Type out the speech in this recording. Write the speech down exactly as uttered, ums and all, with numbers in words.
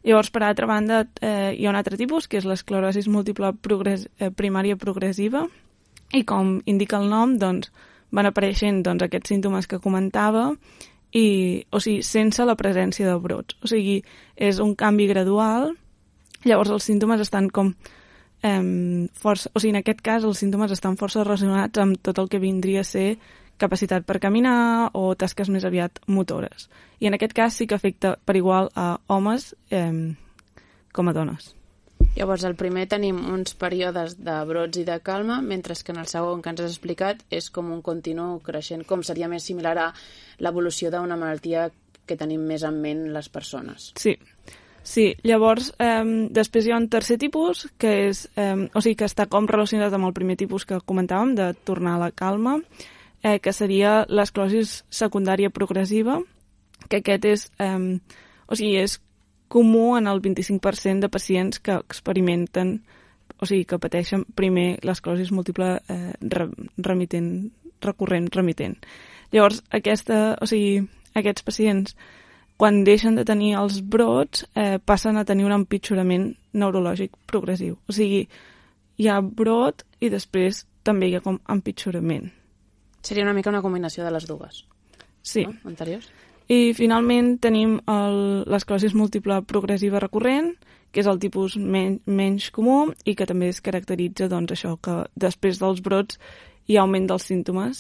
Llavors, per altra banda, eh, hi ha un altre tipus, que és l'esclerosi múltiple progres eh, primària progressiva, i com indica el nom, doncs, van apareixent doncs, aquests símptomes que comentava, i, o sigui, sense la presència de brots. O sigui, és un canvi gradual, llavors els símptomes estan com eh, força, o sigui, en aquest cas els símptomes estan força relacionats amb tot el que vindria a ser capacitat per caminar o tasques més aviat motores. I en aquest cas sí que afecta per igual a homes eh, com a dones. Llavors, al primer tenim uns períodes de brots i de calma, mentre que en el segon que ens has explicat és com un continu creixent, com seria més similar a l'evolució d'una malaltia que tenim més en ment les persones. Sí, sí. Llavors, eh, després hi ha un tercer tipus, que és, eh, o sigui, que està com relacionat amb el primer tipus que comentàvem, de tornar a la calma, eh, que seria l'esclerosi secundària progressiva, que aquest és, eh, o sigui, és comú en el vint-i-cinc per cent de pacients que experimenten, o sigui, que pateixen primer l'esclerosi múltiple eh, remitent, recurrent, remitent. Llavors, aquesta, o sigui, aquests pacients, quan deixen de tenir els brots, eh, passen a tenir un empitjorament neurològic progressiu. O sigui, hi ha brot i després també hi ha com empitjorament. Seria una mica una combinació de les dues, sí. No? Anteriors. I finalment tenim l'esclerosi múltiple progressiva recurrent, que és el tipus men menys comú i que també es caracteritza doncs, això, que després dels brots hi ha augment dels símptomes